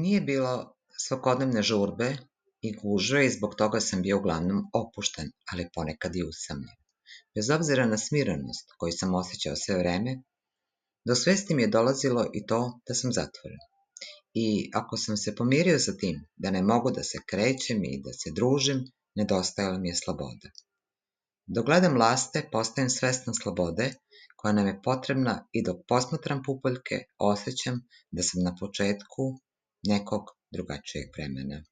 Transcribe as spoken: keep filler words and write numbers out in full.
Nije bilo svakodnevne žurbe i gužve i zbog toga sam bio uglavnom opušten, ali ponekad i usamljen. Bez obzira na smirenost koju sam osjećao sve vreme, do svesti mi je dolazilo i to da sam zatvoren. I ako sam se pomirio sa tim da ne mogu da se krećem i da se družim, nedostajala mi je sloboda. Dok gledam laste, postajem svestan slobode koja nam je potrebna i dok posmatram pupoljke, osjećam da sam na početku nekog drugačijeg vremena.